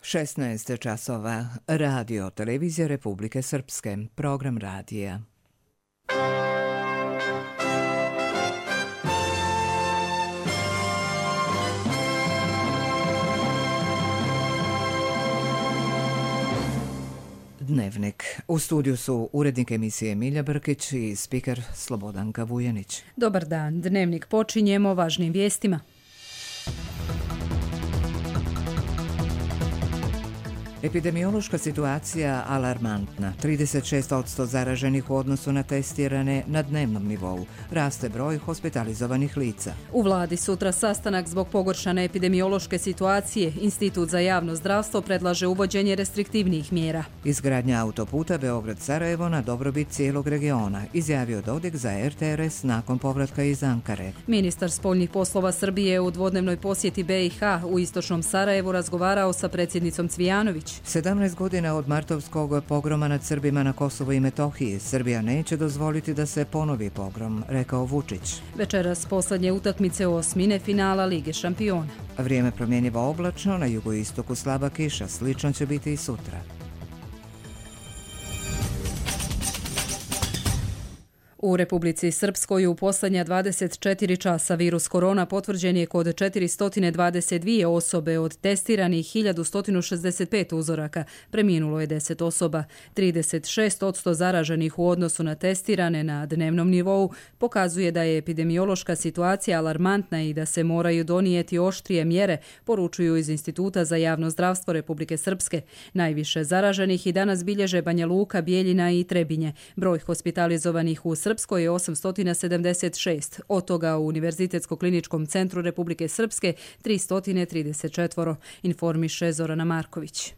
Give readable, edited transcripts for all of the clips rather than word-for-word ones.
16 časova. Radio Televizija Republike Srpske. Program radija. Dnevnik. U studiju su urednik emisije Milja Brkić i spiker Slobodanka Vujanić. Dobar dan. Dnevnik počinjemo važnim vijestima. Epidemiološka situacija alarmantna. 36% zaraženih u odnosu na testirane na dnevnom nivou. Raste broj hospitalizovanih lica. U vladi sutra sastanak zbog pogoršane epidemiološke situacije. Institut za javno zdravstvo predlaže uvođenje restriktivnih mjera. Izgradnja autoputa Beograd-Sarajevo na dobrobit cijelog regiona, izjavio Dodik za RTRS nakon povratka iz Ankare. Ministar spoljnih poslova Srbije u dvodnevnoj posjeti BiH u istočnom Sarajevu razgovarao sa predsjednicom Cvijanović. 17 godina od martovskog pogroma nad Srbima na Kosovu i Metohiji. Srbija neće dozvoliti da se ponovi pogrom, rekao Vučić. Večeras posljednje utakmice osmine finala Lige šampiona. Vrijeme promjenjivo oblačno, na jugoistoku slaba kiša, slično će biti i sutra. U Republici Srpskoj u posljednja 24 časa virus korona potvrđen je kod 422 osobe od testiranih 1165 uzoraka. Preminulo je 10 osoba. 36% zaraženih u odnosu na testirane na dnevnom nivou pokazuje da je epidemiološka situacija alarmantna i da se moraju donijeti oštrije mjere, poručuju iz Instituta za javno zdravstvo Republike Srpske. Najviše zaraženih i danas bilježe Banja Luka, Bijeljina i Trebinje. Broj hospitalizovanih u Srpskoj je 876, od toga u Univerzitetsko-kliničkom centru Republike Srpske 334, informiše Zorana Marković.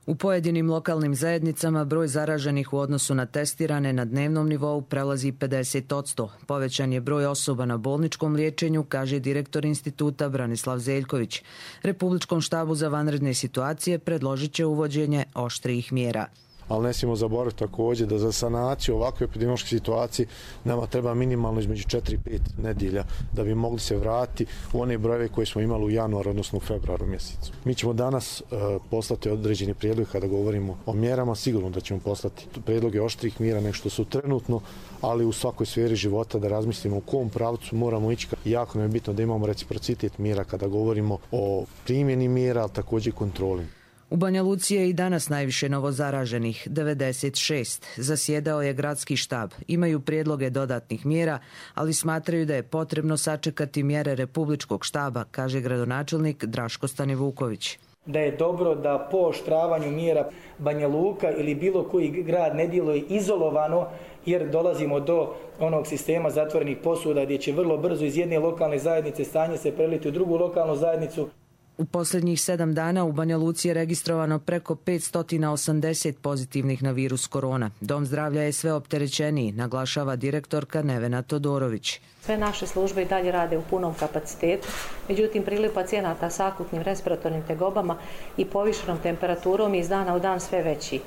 U pojedinim lokalnim zajednicama broj zaraženih u odnosu na testirane na dnevnom nivou prelazi 50%. Povećan je broj osoba na bolničkom liječenju, kaže direktor instituta Branislav Zeljković. Republičkom štabu za vanredne situacije predložit će uvođenje oštrijih mjera. Ali ne smijemo zaboraviti također da za sanaciju ovakve epidemiološke situacije nama treba minimalno između 4 i 5 nedjelja da bi mogli se vratiti u one brojeve koje smo imali u januaru, odnosno u februaru mjesecu. Mi ćemo danas poslati određeni prijedlog kada govorimo o mjerama, sigurno da ćemo poslati prijedloge oštrih mjera nego što su trenutno, ali u svakoj sferi života da razmislimo u kom pravcu moramo ići. Jako nam je bitno da imamo reciprocitet mjera kada govorimo o primjeni mjera, ali također i kontroli. U Banja Luci je i danas najviše novozaraženih, 96. Zasjedao je gradski štab. Imaju prijedloge dodatnih mjera, ali smatraju da je potrebno sačekati mjere Republičkog štaba, kaže gradonačelnik Draško Stanivuković. Da je dobro da po oštravanju mjera Banja Luka ili bilo koji grad ne djeluje izolovano, jer dolazimo do onog sistema zatvorenih posuda gdje će vrlo brzo iz jedne lokalne zajednice stanje se preliti u drugu lokalnu zajednicu. U posljednjih 7 dana u Banja Luci je registrovano preko 580 pozitivnih na virus korona. Dom zdravlja je sve opterećeniji, naglašava direktorka Nevena Todorović. Sve naše službe i dalje rade u punom kapacitetu, međutim priliv pacijenata s akutnim respiratornim tegobama i povišenom temperaturom je iz dana u dan sve veći.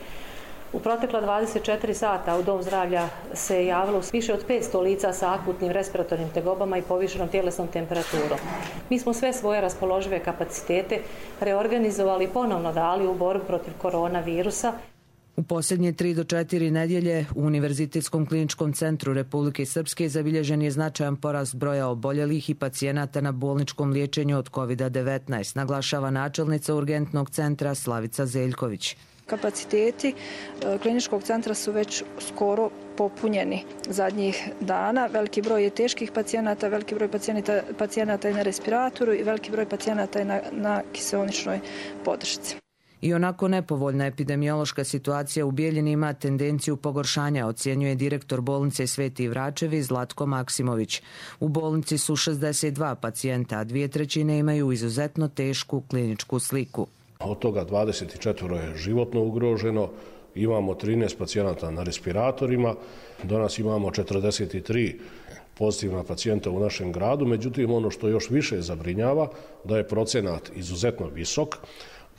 U protekla 24 sata u Dom zdravlja se javilo više od 500 lica sa akutnim respiratornim tegobama i povišenom tjelesnom temperaturom. Mi smo sve svoje raspoložive kapacitete reorganizovali i ponovno dali u borbu protiv koronavirusa. U posljednje 3 do 4 nedjelje u Univerzitetskom kliničkom centru Republike Srpske zabilježen je značajan porast broja oboljelih i pacijenata na bolničkom liječenju od COVID-19, naglašava načelnica urgentnog centra Slavica Zeljković. Kapaciteti kliničkog centra su već skoro popunjeni zadnjih dana. Veliki broj je teških pacijenata, veliki broj pacijenata je na respiratoru i veliki broj pacijenata je na kiseoničnoj podršci. I onako nepovoljna epidemiološka situacija u Bijeljini ima tendenciju pogoršanja, ocjenjuje direktor bolnice Sveti Vračevi Zlatko Maksimović. U bolnici su 62 pacijenta, a 2/3 imaju izuzetno tešku kliničku sliku. Od toga 24 je životno ugroženo, imamo 13 pacijenata na respiratorima, danas imamo 43 pozitivna pacijenta u našem gradu, međutim ono što još više zabrinjava da je procenat izuzetno visok,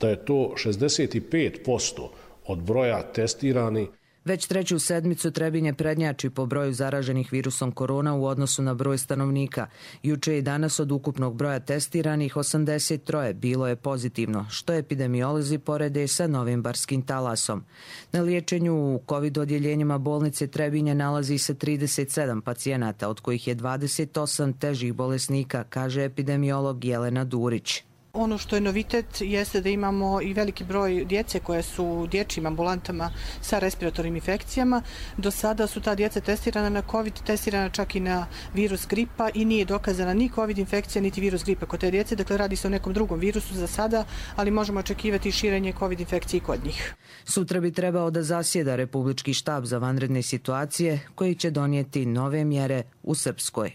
da je to 65% od broja testirani. Već treću sedmicu Trebinje prednjači po broju zaraženih virusom korona u odnosu na broj stanovnika. Juče i danas od ukupnog broja testiranih 83 bilo je pozitivno, što epidemiolozi porede sa novim barskim talasom. Na liječenju u COVID odjeljenjima bolnice Trebinje nalazi se 37 pacijenata, od kojih je 28 težih bolesnika, kaže epidemiolog Jelena Durić. Ono što je novitet jeste da imamo i veliki broj djece koje su u dječjim ambulantama sa respiratornim infekcijama. Do sada su ta djeca testirana na COVID, testirana čak i na virus gripa i nije dokazana ni COVID infekcija niti virus gripa kod te djece. Dakle, radi se o nekom drugom virusu za sada, ali možemo očekivati širenje COVID infekcije kod njih. Sutra bi trebao da zasjeda Republički štab za vanredne situacije koji će donijeti nove mjere u Srpskoj.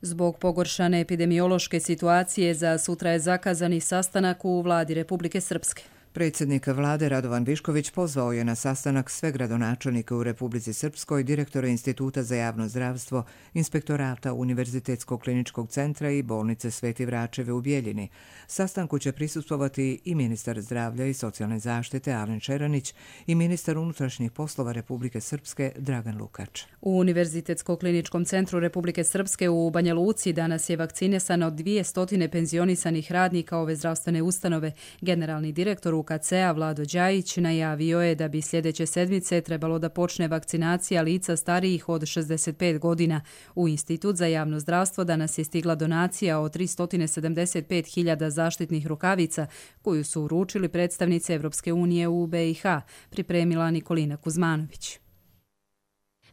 Zbog pogoršane epidemiološke situacije za sutra je zakazani sastanak u vladi Republike Srpske. Predsjednik vlade Radovan Višković pozvao je na sastanak sve gradonačelnike u Republici Srpskoj, direktore Instituta za javno zdravstvo, inspektorata Univerzitetskog kliničkog centra i bolnice Sveti Vračeve u Bijeljini. Sastanku će prisustvovati i ministar zdravlja i socijalne zaštite Alen Čeranić i ministar unutrašnjih poslova Republike Srpske Dragan Lukač. U Univerzitetskom kliničkom centru Republike Srpske u Banja Luci danas je vakcinisano 200 penzionisanih radnika ove zdravstvene ustanove. Generalni direktor UKC-a Vlado Đajić najavio je da bi sljedeće sedmice trebalo da počne vakcinacija lica starijih od 65 godina. U Institut za javno zdravstvo danas je stigla donacija od 375.000 zaštitnih rukavica koju su uručili predstavnice Evropske unije u BiH, pripremila Nikolina Kuzmanović.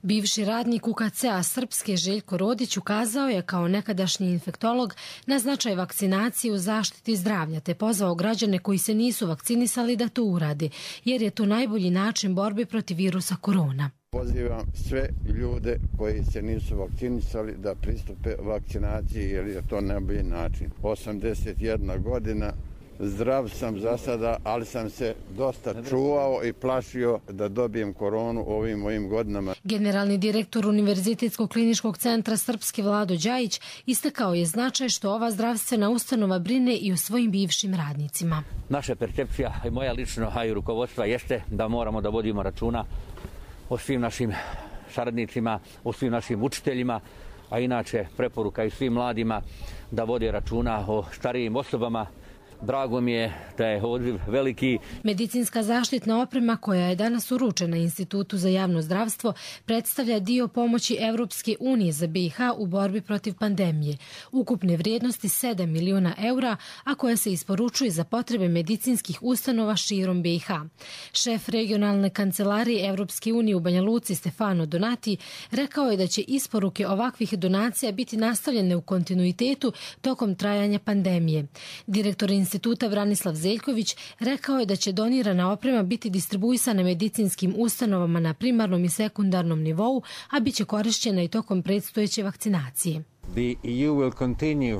Bivši radnik UKC-a Srpske Željko Rodić ukazao je kao nekadašnji infektolog na značaj vakcinacije u zaštiti zdravlja te pozvao građane koji se nisu vakcinisali da to urade, jer je to najbolji način borbe protiv virusa korona. Pozivam sve ljude koji se nisu vakcinisali da pristupe vakcinaciji jer je to najbolji način. 81 godina. Zdrav sam za sada, ali sam se dosta čuvao i plašio da dobijem koronu ovim mojim godinama. Generalni direktor Univerzitetskog kliničkog centra Srpske Vlado Đajić istakao je značaj što ova zdravstvena ustanova brine i o svojim bivšim radnicima. Naša percepcija i moja lično, a i rukovodstva jeste da moramo da vodimo računa o svim našim saradnicima, o svim našim učiteljima, a inače preporuka i svim mladima da vode računa o starijim osobama. Drago mi je da je odziv veliki. Medicinska zaštitna oprema koja je danas uručena Institutu za javno zdravstvo predstavlja dio pomoći Evropske unije za BiH u borbi protiv pandemije. Ukupne vrijednosti 7 miliona eura, a koja se isporučuje za potrebe medicinskih ustanova širom BiH. Šef regionalne kancelarije Evropske unije u Banja Luci Stefano Donati rekao je da će isporuke ovakvih donacija biti nastavljene u kontinuitetu tokom trajanja pandemije. Direktor Instituta Vranislav Zeljković rekao je da će donirana oprema biti distribuisana medicinskim ustanovama na primarnom i sekundarnom nivou, a bit će korišćena i tokom predstojeće vakcinacije.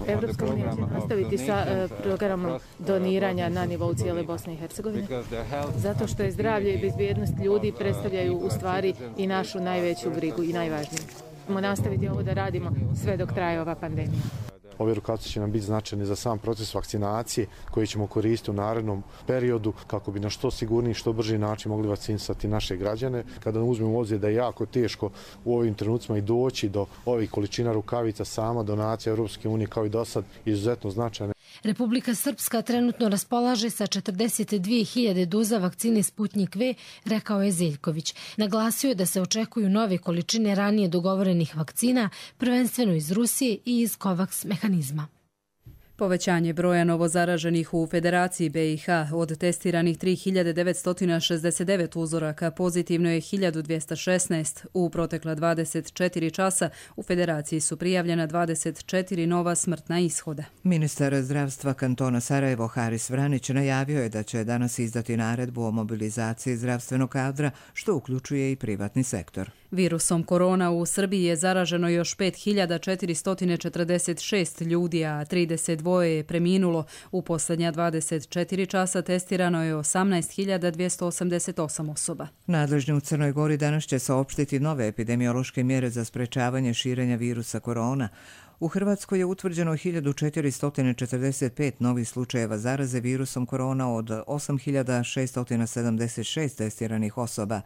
Evropska unija će nastaviti sa programom doniranja na nivou cijele Bosne i Hercegovine, zato što je zdravlje i bezbjednost ljudi predstavljaju u stvari i našu najveću brigu i najvažniju. Možemo nastaviti ovo da radimo sve dok traje ova pandemija. Ove edukacije će nam biti značajne za sam proces vakcinacije koji ćemo koristiti u narednom periodu kako bi na što sigurniji, što brži način mogli vakcinisati naše građane. Kada uzmemo u obzir da je jako teško u ovim trenucima i doći do ovih količina rukavica, sama donacija Europske unije kao i do sad izuzetno značajna. Republika Srpska trenutno raspolaže sa 42.000 doza vakcine Sputnik V, rekao je Zeljković. Naglasio je da se očekuju nove količine ranije dogovorenih vakcina, prvenstveno iz Rusije i iz COVAX mehanizma. Povećanje broja novozaraženih u Federaciji BiH od testiranih 3.969 uzoraka pozitivno je 1.216. U protekla 24 časa u Federaciji su prijavljena 24 nova smrtna ishoda. Ministar zdravstva kantona Sarajevo Haris Vranić najavio je da će danas izdati naredbu o mobilizaciji zdravstvenog kadra, što uključuje i privatni sektor. Virusom korona u Srbiji je zaraženo još 5.446 ljudi, a 32 je preminulo. U posljednja 24 časa testirano je 18.288 osoba. Nadležni u Crnoj Gori danas će saopštiti nove epidemiološke mjere za sprečavanje širenja virusa korona. U Hrvatskoj je utvrđeno 1445 novih slučajeva zaraze virusom korona od 8676 testiranih osoba.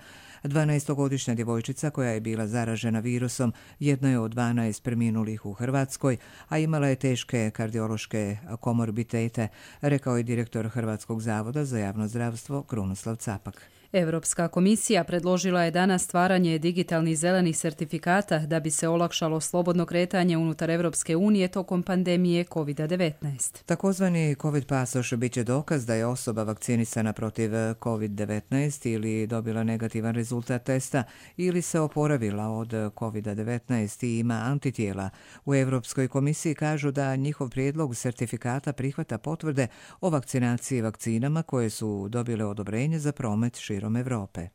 12-godišnja djevojčica koja je bila zaražena virusom jedna je od 12 preminulih u Hrvatskoj, a imala je teške kardiološke komorbitete, rekao je direktor Hrvatskog zavoda za javno zdravstvo Krunoslav Capak. Europska komisija predložila je danas stvaranje digitalnih zelenih sertifikata da bi se olakšalo slobodno kretanje unutar Europske unije tokom pandemije COVID-19. Takozvani COVID pasoš bit će dokaz da je osoba vakcinisana protiv COVID-19 ili dobila negativan rezultat testa ili se oporavila od COVID-19 i ima antitijela. U Europskoj komisiji kažu da njihov prijedlog sertifikata prihvata potvrde o vakcinaciji vakcinama koje su dobile odobrenje za promet širom Evrope.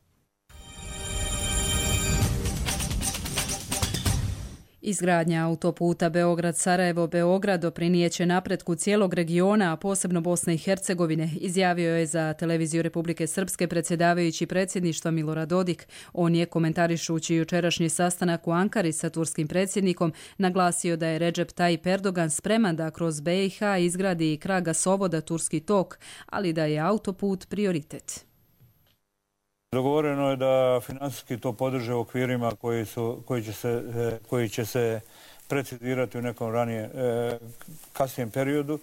Izgradnja autoputa Beograd-Sarajevo-Beograd doprinijeće napretku cijelog regiona, a posebno Bosne i Hercegovine, izjavio je za televiziju Republike Srpske predsjedavajući predsjedništva Milorad Dodik. On je, komentarišući jučerašnji sastanak u Ankari sa turskim predsjednikom, naglasio da je Recep Tayyip Erdogan spreman da kroz BiH izgradi i krak gasovoda Turski tok, ali da je autoput prioritet. Dogovoreno je da financijski to podrže u okvirima koji će se precizirati u nekom kasnijem periodu,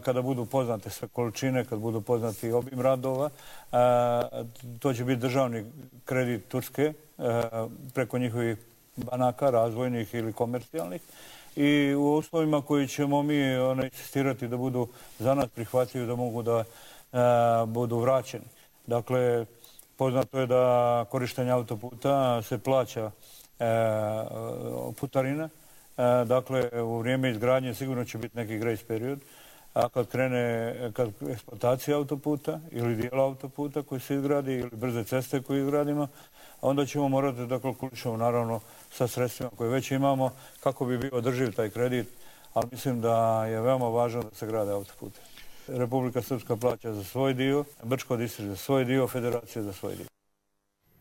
kada budu poznate sve količine, kad budu poznati obim radova. To će biti državni kredit Turske preko njihovih banaka, razvojnih ili komercijalnih. I u uslovima koji ćemo mi insistirati da budu za nas prihvatljivi, da mogu da budu vraćeni. Dakle, poznato je da korištenje autoputa se plaća putarina. Dakle, u vrijeme izgradnje sigurno će biti neki grace period. A kad krene eksploatacija autoputa ili dijela autoputa koji se izgradi ili brze ceste koje izgradimo, onda ćemo morati da kalkulišemo naravno sa sredstvima koje već imamo kako bi bio održiv taj kredit, ali mislim da je veoma važno da se grade autopute. Republika Srpska plaća za svoj dio, Brčko distrikt za svoj dio, Federacija za svoj dio.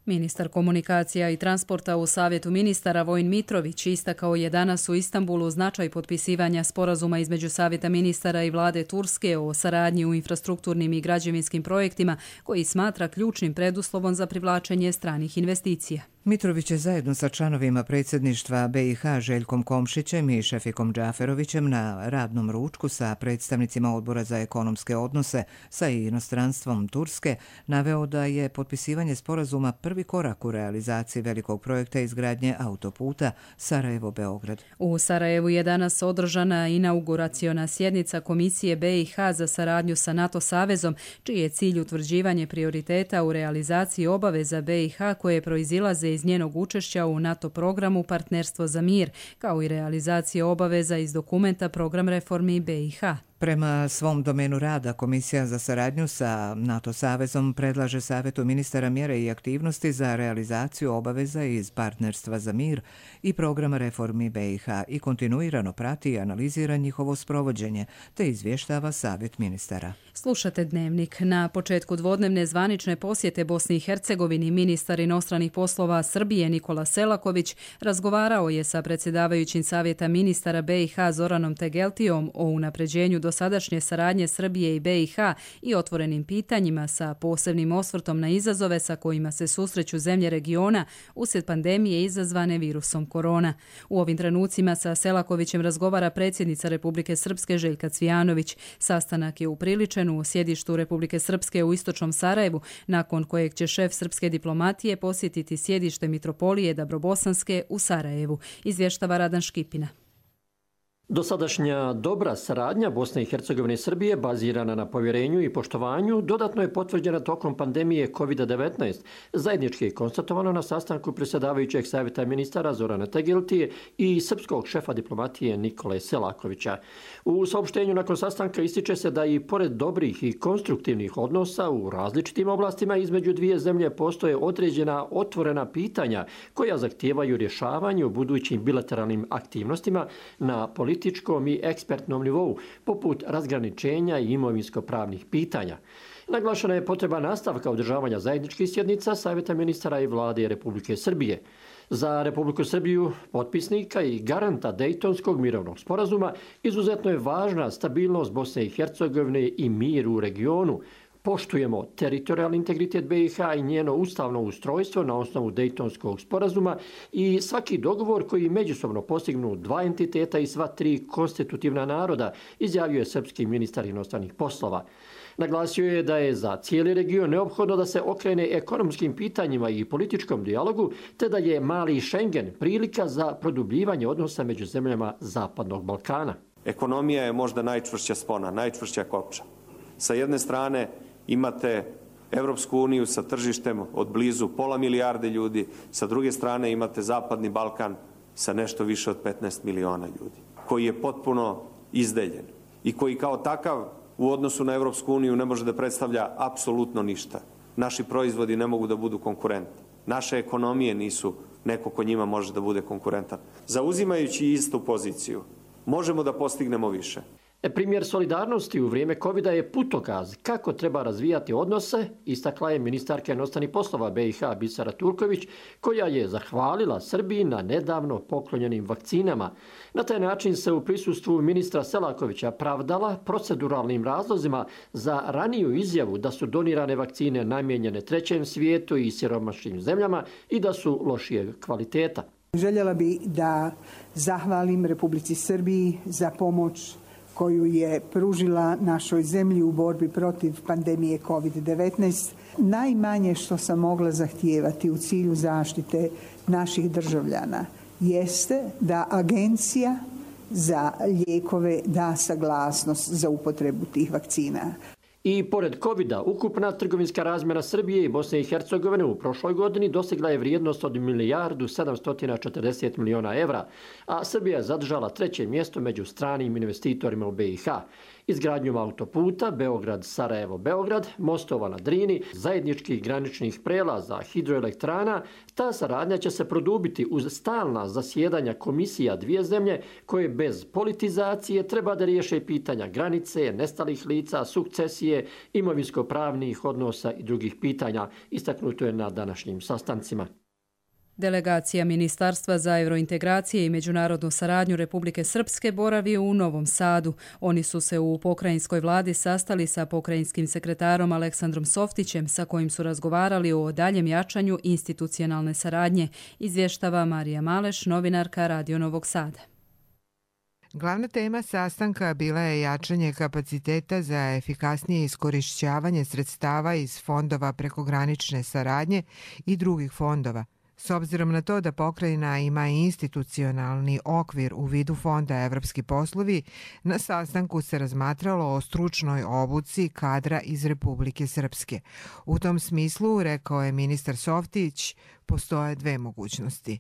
Ministar komunikacija i transporta u Savjetu ministara Vojin Mitrović istakao je danas u Istanbulu značaj potpisivanja sporazuma između Savjeta ministara i vlade Turske o saradnji u infrastrukturnim i građevinskim projektima koji smatra ključnim preduslovom za privlačenje stranih investicija. Mitrović je zajedno sa članovima predsjedništva BiH Željkom Komšićem i Šefikom Džaferovićem na radnom ručku sa predstavnicima Odbora za ekonomske odnose sa inostranstvom Turske naveo da je potpisivanje sporazuma prvi korak u realizaciji velikog projekta izgradnje autoputa Sarajevo-Beograd. U Sarajevu je danas održana inauguraciona sjednica Komisije BiH za saradnju sa NATO savezom, čiji je cilj utvrđivanje prioriteta u realizaciji obaveza BiH koje proizilaze iz njenog učešća u NATO programu Partnerstvo za mir, kao i realizacije obaveza iz dokumenta Program reformi BiH. Prema svom domenu rada, Komisija za saradnju sa NATO savezom predlaže Savjetu ministara mjere i aktivnosti za realizaciju obaveza iz Partnerstva za mir i programa reformi BiH i kontinuirano prati i analizira njihovo sprovođenje, te izvještava Savjet ministara. Slušate Dnevnik. Na početku dvodnevne zvanične posjete Bosni i Hercegovini ministar inostranih poslova Srbije Nikola Selaković razgovarao je sa predsjedavajućim Savjeta ministara BiH Zoranom Tegeltijom o unapređenju dosadašnje saradnje Srbije i BiH i otvorenim pitanjima sa posebnim osvrtom na izazove sa kojima se susreću zemlje regiona uslijed pandemije izazvane virusom korona. U ovim trenucima sa Selakovićem razgovara predsjednica Republike Srpske Željka Cvijanović. Sastanak je upriličen u sjedištu Republike Srpske u istočnom Sarajevu, nakon kojeg će šef srpske diplomatije posjetiti sjedište Mitropolije Dabrobosanske u Sarajevu, izvještava Radan Škipina. Dosadašnja dobra saradnja Bosne i Hercegovine i Srbije, bazirana na povjerenju i poštovanju, dodatno je potvrđena tokom pandemije COVID-19. Zajednički je konstatovano na sastanku predsjedavajućeg Savjeta ministara Zorana Tegeltije i srpskog šefa diplomatije Nikole Selakovića. U saopštenju nakon sastanka ističe se da i pored dobrih i konstruktivnih odnosa u različitim oblastima između dvije zemlje postoje određena otvorena pitanja koja zahtijevaju rješavanje u budućim bilateralnim aktivnostima na političkom i ekspertnom nivou, poput razgraničenja i imovinsko-pravnih pitanja. Naglašena je potreba nastavka održavanja zajedničkih sjednica Savjeta ministara i vlade Republike Srbije. Za Republiku Srbiju, potpisnika i garanta Dejtonskog mirovnog sporazuma, izuzetno je važna stabilnost Bosne i Hercegovine i mir u regionu. Poštujemo teritorijalni integritet BiH i njeno ustavno ustrojstvo na osnovu Dejtonskog sporazuma i svaki dogovor koji međusobno postignu dva entiteta i sva tri konstitutivna naroda, izjavio je srpski ministar inostranih poslova. Naglasio je da je za cijeli region neophodno da se okrene ekonomskim pitanjima i političkom dijalogu, te da je mali Schengen prilika za produbljivanje odnosa među zemljama Zapadnog Balkana. Ekonomija je možda najčvršća spona, najčvršća kopča. Sa jedne strane imate Evropsku uniju sa tržištem od blizu 500 milijarde ljudi, sa druge strane imate Zapadni Balkan sa nešto više od 15 miliona ljudi, koji je potpuno izdeljen i koji kao takav u odnosu na Evropsku uniju ne može da predstavlja apsolutno ništa. Naši proizvodi ne mogu da budu konkurentni. Naše ekonomije nisu neko ko njima može da bude konkurentan. Zauzimajući istu poziciju, možemo da postignemo više. Primjer solidarnosti u vrijeme covida je putokaz kako treba razvijati odnose, istakla je ministarka inostranih poslova BiH Bisera Turković, koja je zahvalila Srbiji na nedavno poklonjenim vakcinama. Na taj način se u prisustvu ministra Selakovića pravdala proceduralnim razlozima za raniju izjavu da su donirane vakcine namijenjene trećem svijetu i siromašnim zemljama i da su lošijeg kvaliteta. Željela bi da zahvalim Republici Srbiji za pomoć koju je pružila našoj zemlji u borbi protiv pandemije COVID-19. Najmanje što sam mogla zahtijevati u cilju zaštite naših državljana jeste da Agencija za lijekove da saglasnost za upotrebu tih vakcina. I pored covida, ukupna trgovinska razmjena Srbije i Bosne i Hercegovine u prošloj godini dosegla je vrijednost od 1.740 miliona evra, a Srbija je zadržala treće mjesto među stranim investitorima u BiH. Izgradnjom autoputa Beograd-Sarajevo-Beograd, mostova na Drini, zajedničkih graničnih prelaza, hidroelektrana, ta saradnja će se produbiti uz stalna zasjedanja komisija dvije zemlje koje bez politizacije treba da riješe pitanja granice, nestalih lica, sukcesije, imovinsko-pravnih odnosa i drugih pitanja, istaknuto je na današnjim sastancima. Delegacija Ministarstva za eurointegracije i međunarodnu saradnju Republike Srpske boravi u Novom Sadu. Oni su se u pokrajinskoj vladi sastali sa pokrajinskim sekretarom Aleksandrom Softićem, sa kojim su razgovarali o daljem jačanju institucionalne saradnje, izvještava Marija Maleš, novinarka Radio Novog Sada. Glavna tema sastanka bila je jačanje kapaciteta za efikasnije iskorišćavanje sredstava iz fondova prekogranične saradnje i drugih fondova. S obzirom na to da pokrajina ima institucionalni okvir u vidu Fonda Evropski poslovi, na sastanku se razmatralo o stručnoj obuci kadra iz Republike Srpske. U tom smislu, rekao je ministar Softić, postoje dve mogućnosti.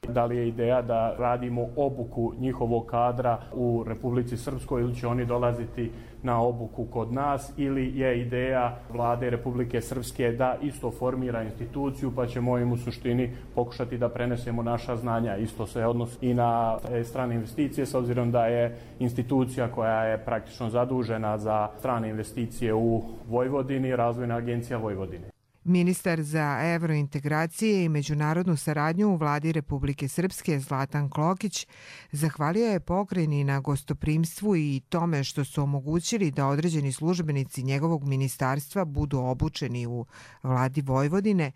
Da li je ideja da radimo obuku njihovog kadra u Republici Srpskoj ili će oni dolaziti na obuku kod nas, ili je ideja vlade Republike Srpske da isto formira instituciju pa ćemo im u suštini pokušati da prenesemo naša znanja. Isto se odnosi i na strane investicije, s obzirom da je institucija koja je praktično zadužena za strane investicije u Vojvodini, Razvojna agencija Vojvodine. Ministar za evrointegracije i međunarodnu saradnju u vladi Republike Srpske Zlatan Klokić zahvalio je pokrajini na gostoprimstvu i tome što su omogućili da određeni službenici njegovog ministarstva budu obučeni u vladi Vojvodine,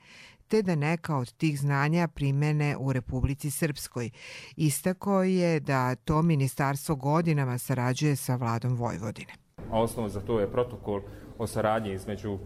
te da neka od tih znanja primene u Republici Srpskoj. Istakao je da to ministarstvo godinama sarađuje sa vladom Vojvodine. Osnov za to je protokol o saradnji između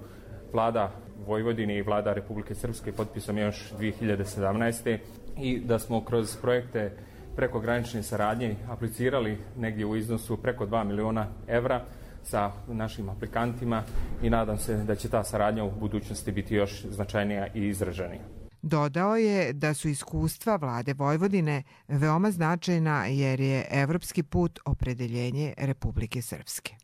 vlada Vojvodine i vlada Republike Srpske potpisan još 2017. i da smo kroz projekte prekogranične saradnje aplicirali negdje u iznosu preko 2 miliona evra sa našim aplikantima i nadam se da će ta saradnja u budućnosti biti još značajnija i izraženija. Dodao je da su iskustva vlade Vojvodine veoma značajna jer je evropski put opredeljenje Republike Srpske.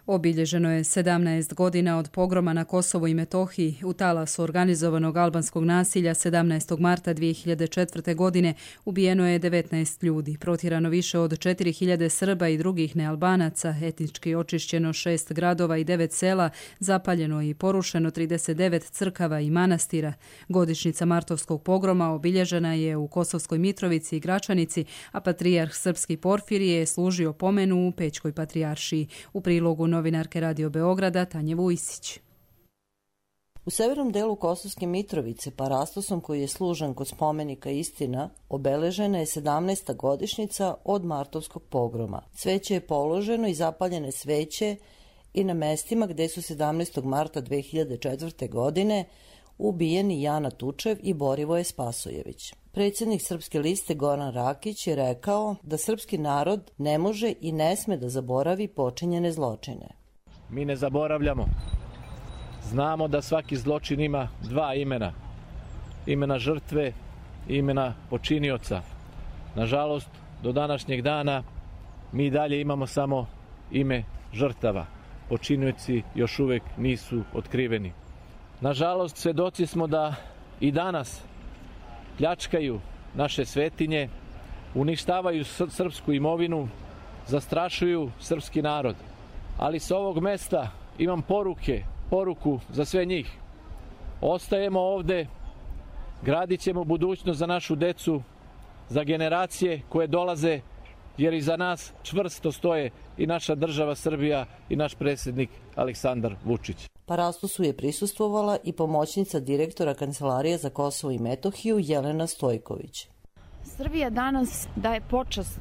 Obilježeno je 17 godina od pogroma na Kosovu i Metohiji. U talasu organizovanog albanskog nasilja 17. marta 2004. godine ubijeno je 19 ljudi, protjerano više od 4000 Srba i drugih nealbanaca, etnički očišćeno 6 gradova i 9 sela, zapaljeno i porušeno 39 crkava i manastira. Godišnjica martovskog pogroma obilježena je u Kosovskoj Mitrovici i Gračanici, a patrijarh srpski Porfirije je služio pomenu u Pećkoj patrijaršiji. U prilogu novinarke Radio Beograda Tanje Vujsić. U severnom delu Kosovske Mitrovice, parastosom koji je služan kod spomenika Istina, obeležena je 17. godišnjica od martovskog pogroma. Cveće je položeno i zapaljene sveće i na mestima gde su 17. marta 2004. godine ubijeni Jana Tučev i Borivoje Spasojević. Predsjednik Srpske liste Goran Rakić je rekao da srpski narod ne može i ne sme da zaboravi počinjene zločine. Mi ne zaboravljamo. Znamo da svaki zločin ima dva imena. Imena žrtve i imena počinioca. Nažalost, do današnjeg dana mi dalje imamo samo ime žrtava. Počinioci još uvek nisu otkriveni. Nažalost, svedoci smo da i danas pljačkaju naše svetinje, uništavaju srpsku imovinu, zastrašuju srpski narod. Ali sa ovog mesta imam poruku za sve njih. Ostajemo ovde, gradit ćemo budućnost za našu decu, za generacije koje dolaze, jer iza nas čvrsto stoje i naša država Srbija i naš predsjednik Aleksandar Vučić. Parastosu je prisustvovala i pomoćnica direktora Kancelarije za Kosovo i Metohiju Jelena Stojković. Srbija danas daje počast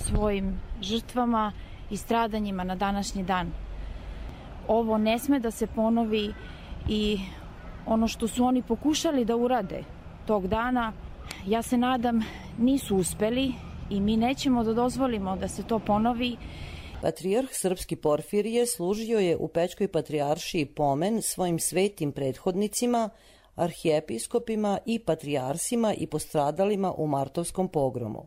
svojim žrtvama i stradanjima na današnji dan. Ovo ne sme da se ponovi i ono što su oni pokušali da urade tog dana, ja se nadam, nisu uspeli i mi nećemo da dozvolimo da se to ponovi. Patrijarh srpski Porfirije služio je u Pećkoj patrijaršiji pomen svojim svetim prethodnicima, arhijepiskopima i patrijarsima i postradalima u martovskom pogromu.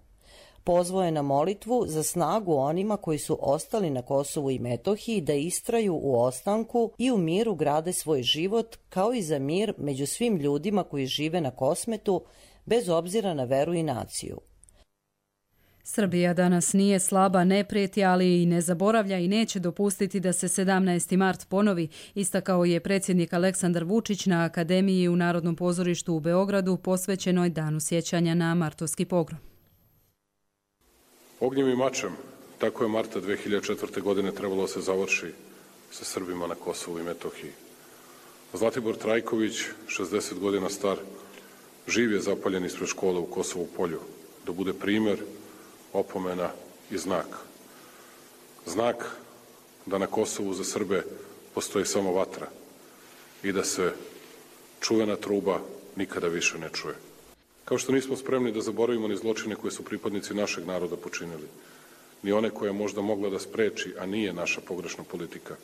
Pozvao je na molitvu za snagu onima koji su ostali na Kosovu i Metohiji da istraju u ostanku i u miru grade svoj život, kao i za mir među svim ljudima koji žive na Kosmetu, bez obzira na veru i naciju. Srbija danas nije slaba, ne prijeti, ali i ne zaboravlja i neće dopustiti da se 17. mart ponovi, istakao je predsjednik Aleksandar Vučić na Akademiji u Narodnom pozorištu u Beogradu posvećenoj danu sjećanja na martovski pogrom. Ognjem i mačem, tako je marta 2004. godine trebalo se završi sa Srbima na Kosovu i Metohiji. Zlatibor Trajković, 60 godina star, živ je zapaljen ispred škole u Kosovu Polju, da bude primjer, opomena i znak. Znak da na Kosovu za Srbe postoji samo vatra i da se čuvena truba nikada više ne čuje. Kao što nismo spremni da zaboravimo ni zločine koje su pripadnici našeg naroda počinili, ni one koje je možda mogla da spreči, a nije naša pogrešna politika.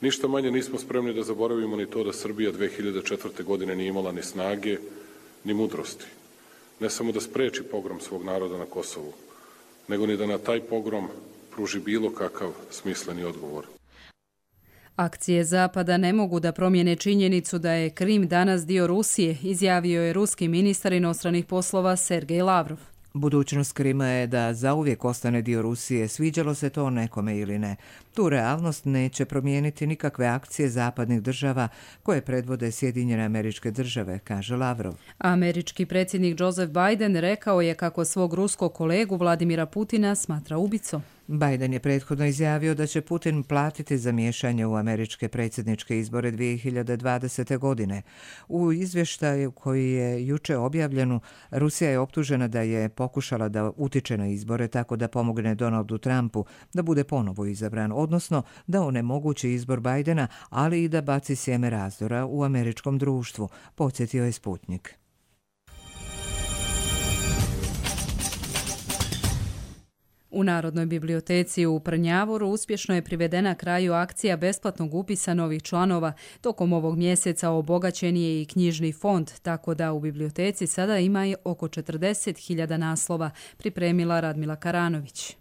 Ništa manje nismo spremni da zaboravimo ni to da Srbija 2004. godine nije imala ni snage, ni mudrosti. Ne samo da spreči pogrom svog naroda na Kosovu, nego ni da na taj pogrom pruži bilo kakav smisleni odgovor. Akcije Zapada ne mogu da promijene činjenicu da je Krim danas dio Rusije, izjavio je ruski ministar inostranih poslova Sergej Lavrov. Budućnost Krima je da zauvijek ostane dio Rusije, sviđalo se to nekome ili ne. Tu realnost neće promijeniti nikakve akcije zapadnih država koje predvode Sjedinjene Američke Države, kaže Lavrov. Američki predsjednik Joseph Biden rekao je kako svog ruskog kolegu Vladimira Putina smatra ubicom. Biden je prethodno izjavio da će Putin platiti za miješanje u američke predsjedničke izbore 2020. godine. U izvještaju koji je juče objavljen, Rusija je optužena da je pokušala da utiče na izbore tako da pomogne Donaldu Trumpu da bude ponovo izabran, odnosno da onemogući izbor Bidena, ali i da baci sjeme razdora u američkom društvu, podsjetio je Sputnik. U Narodnoj biblioteci u Prnjavoru uspješno je privedena kraju akcija besplatnog upisa novih članova. Tokom ovog mjeseca obogaćen je i knjižni fond, tako da u biblioteci sada ima oko 40.000 naslova, pripremila Radmila Karanović.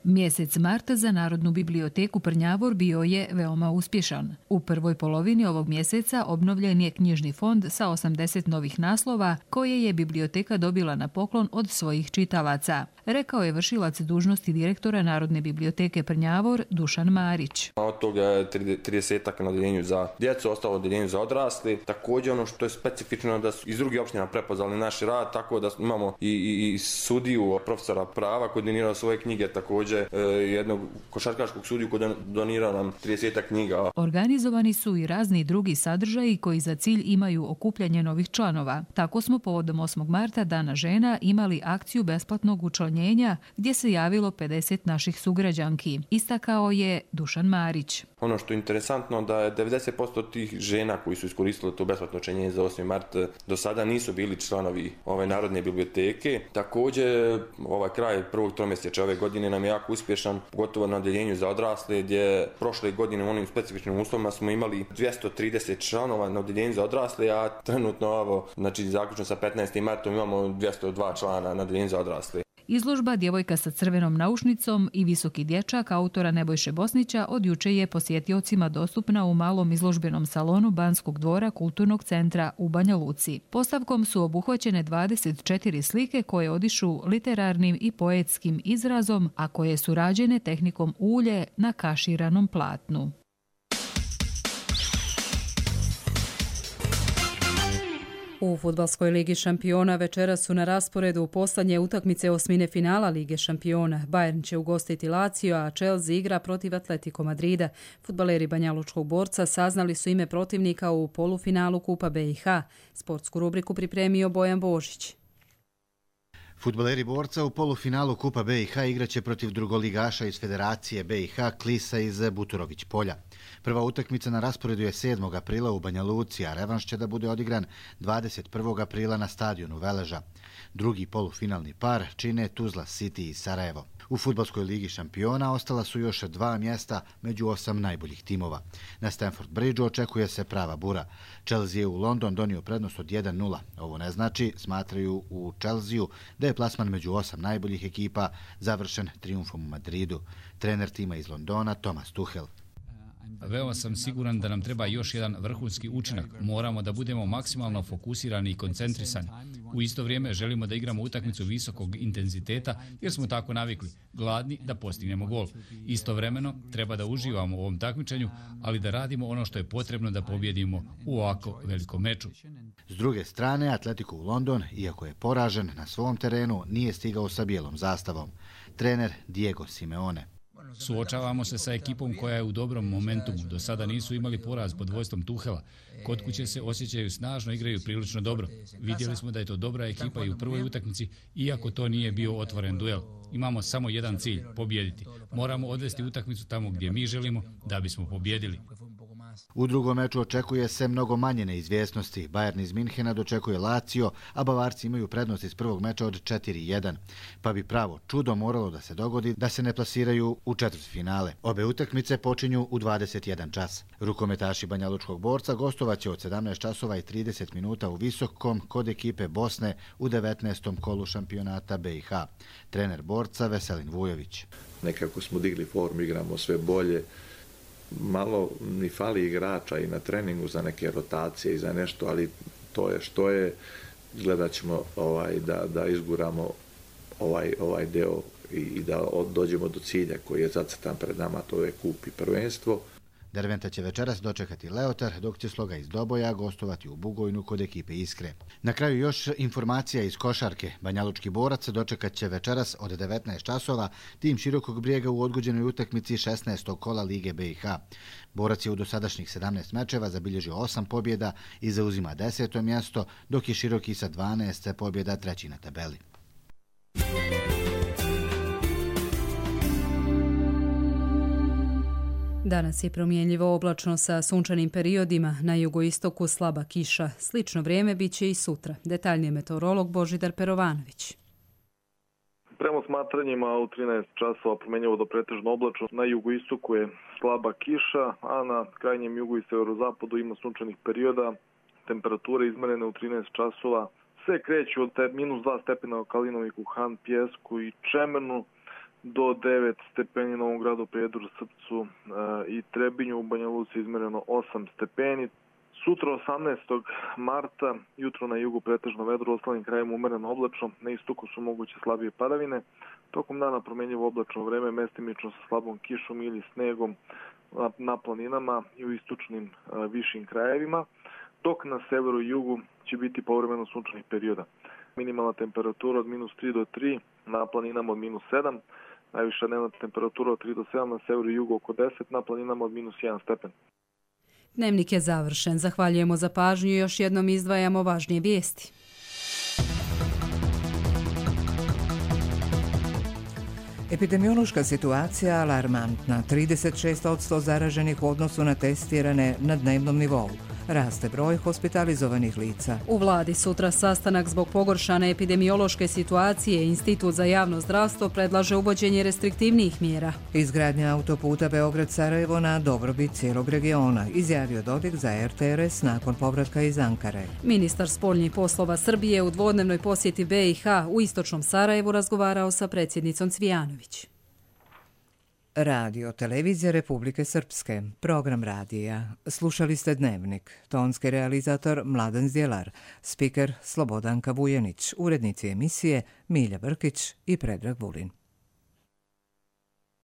Mjesec marta za Narodnu biblioteku Prnjavor bio je veoma uspješan. U prvoj polovini ovog mjeseca obnovljen je knjižni fond sa 80 novih naslova koje je biblioteka dobila na poklon od svojih čitalaca, rekao je vršilac dužnosti direktora Narodne biblioteke Prnjavor Dušan Marić. Od toga je 30 na odeljenju za djecu, ostalo odeljenju za odrasli. Također ono što je specifično da su iz drugih opština prepoznali naš rad, tako da imamo i sudiju, profesora prava koji donirao svoje knjige, također jednog košarkaškog sudiju koji donirao nam 30 knjiga. Organizovani su i razni drugi sadržaji koji za cilj imaju okupljanje novih članova. Tako smo povodom 8. marta, Dana žena, imali akciju besplatnog učlanjenja gdje se javilo 50 naših sugrađanki, istakao je Dušan Marić. Ono što je interesantno da je 90% tih žena koji su iskoristili to besplatno učlanjenje za 8. mart do sada nisu bili članovi Narodne biblioteke. Također ovaj kraj prvog tromjesečja ove godine nam je jako uspješan, pogotovo na odeljenju za odrasle, gdje prošle godine u onim specifičnim uslovima smo imali 230 članova na odeljenju za odrasle, a trenutno zaključno sa 15. martom imamo 202 člana na odeljenju za odrasle. Izložba Djevojka sa crvenom naušnicom i Visoki dječak autora Nebojše Bosnića od juče je posjetiocima dostupna u malom izložbenom salonu Banskog dvora Kulturnog centra u Banja Luci. Postavkom su obuhvaćene 24 slike koje odišu literarnim i poetskim izrazom, a koje su rađene tehnikom ulje na kaširanom platnu. U Fudbalskoj ligi šampiona večeras su na rasporedu poslednje utakmice osmine finala Lige šampiona. Bayern će ugostiti Lazio, a Chelsea igra protiv Atletico Madrida. Fudbaleri Banjalučkog Borca saznali su ime protivnika u polufinalu Kupa BiH. Sportsku rubriku pripremio Bojan Božić. Fudbaleri Borca u polufinalu Kupa BiH igraće protiv drugoligaša iz Federacije BiH Klisa iz Buturović polja. Prva utakmica na rasporedu je 7. aprila u Banja Luci, a revanš će da bude odigran 21. aprila na stadionu Veleža. Drugi polufinalni par čine Tuzla City i Sarajevo. U Fudbalskoj ligi šampiona ostala su još 2 mjesta među 8 najboljih timova. Na Stamford Bridgeu očekuje se prava bura. Chelsea je u London donio prednost od 1-0. Ovo ne znači, smatraju u Chelsea, da je plasman među 8 najboljih ekipa završen trijumfom u Madridu. Trener tima iz Londona Thomas Tuchel. Veoma sam siguran da nam treba još jedan vrhunski učinak. Moramo da budemo maksimalno fokusirani i koncentrisani. U isto vrijeme želimo da igramo utakmicu visokog intenziteta jer smo tako navikli, gladni da postignemo gol. Istovremeno treba da uživamo u ovom takmičenju, ali da radimo ono što je potrebno da pobjedimo u ovako velikom meču. S druge strane, Atletico u London, iako je poražen na svom terenu, nije stigao sa bijelom zastavom. Trener Diego Simeone. Suočavamo se sa ekipom koja je u dobrom momentumu. Do sada nisu imali poraz pod vodstvom Tuhela. Kod kuće se osjećaju snažno, igraju prilično dobro. Vidjeli smo da je to dobra ekipa i u prvoj utakmici, iako to nije bio otvoren duel. Imamo samo jedan cilj, pobijediti. Moramo odvesti utakmicu tamo gdje mi želimo da bismo pobjedili. U drugom meču očekuje se mnogo manje neizvjesnosti. Bayern iz Minhena dočekuje Lazio, a Bavarci imaju prednost iz prvog meča od 4-1. Pa bi pravo čudo moralo da se dogodi da se ne plasiraju u četvrtfinale. Obe utakmice počinju u 21 čas. Rukometaši Banjalučkog Borca gostovaće od 17 časova i 30 minuta u Visokom kod ekipe Bosne u 19. kolu šampionata BiH. Trener Borca Veselin Vujović. Nekako smo digli formu, igramo sve bolje. Malo mi fali igrača i na treningu za neke rotacije i za nešto, ali to je što je. Gledat ćemo da izguramo ovaj deo i da dođemo do cilja koji je zacrtan pred nama, to je kup i prvenstvo. Derventa će večeras dočekati Leotar, dok će Sloga iz Doboja gostovati u Bugojnu kod ekipe Iskre. Na kraju još informacija iz košarke. Banjalučki Borac dočekat će večeras od 19 časova tim Širokog Brijega u odgođenoj utakmici 16. kola Lige BiH. Borac je u dosadašnjih 17 mečeva zabilježio 8 pobjeda i zauzima 10. mjesto, dok je Široki sa 12 pobjeda treći na tabeli. Danas je promjenljivo oblačno sa sunčanim periodima, na jugoistoku slaba kiša. Slično vrijeme bit će i sutra. Detaljnije meteorolog Božidar Perovanović. Prema smatranjima u 13 časova promjenjivo do pretežno oblačno. Na jugoistoku je slaba kiša, a na krajnjem jugu i severozapadu ima sunčanih perioda. Temperature izmerene u 13 časova se kreću od -2 stepena u Kalinoviku, Han, Pjesku i Čemernu do 9 stepeni u Novom Gradu, Prijedoru, Srpcu i Trebinju. U Banja Luci izmereno 8 stepeni. Sutra 18. marta, jutro na jugu pretežno vedro, u ostalim krajima umereno oblačno, na istoku su moguće slabije padavine. Tokom dana promjenjivo oblačno vreme, mestimično sa slabom kišom ili snegom na planinama i u istočnim višim krajevima, dok na severu i jugu će biti povremeno sunčanih perioda. Minimalna temperatura od -3 do 3, na planinama od -7, najviša dnevna temperatura od 3 do 7, na severu i jugu oko 10, na planinama od -1 stepen. Dnevnik je završen. Zahvaljujemo za pažnju i još jednom izdvajamo važnije vijesti. Epidemiološka situacija alarmantna. 36% zaraženih u odnosu na testirane na dnevnom nivou. Raste broj hospitalizovanih lica. U vladi sutra sastanak zbog pogoršane epidemiološke situacije. Institut za javno zdravstvo predlaže uvođenje restriktivnijih mjera. Izgradnja autoputa Beograd-Sarajevo na dobrobit cijelog regiona, izjavio Dodik za RTRS nakon povratka iz Ankare. Ministar spoljnih poslova Srbije u dvodnevnoj posjeti BiH u istočnom Sarajevu razgovarao sa predsjednicom Cvijanović. Radio Televizija Republike Srpske, program radija. Slušali ste Dnevnik, tonski realizator Mladen Zdjelar, spiker Slobodanka Vujenić, urednici emisije Milja Brkić i Predrag Vulin.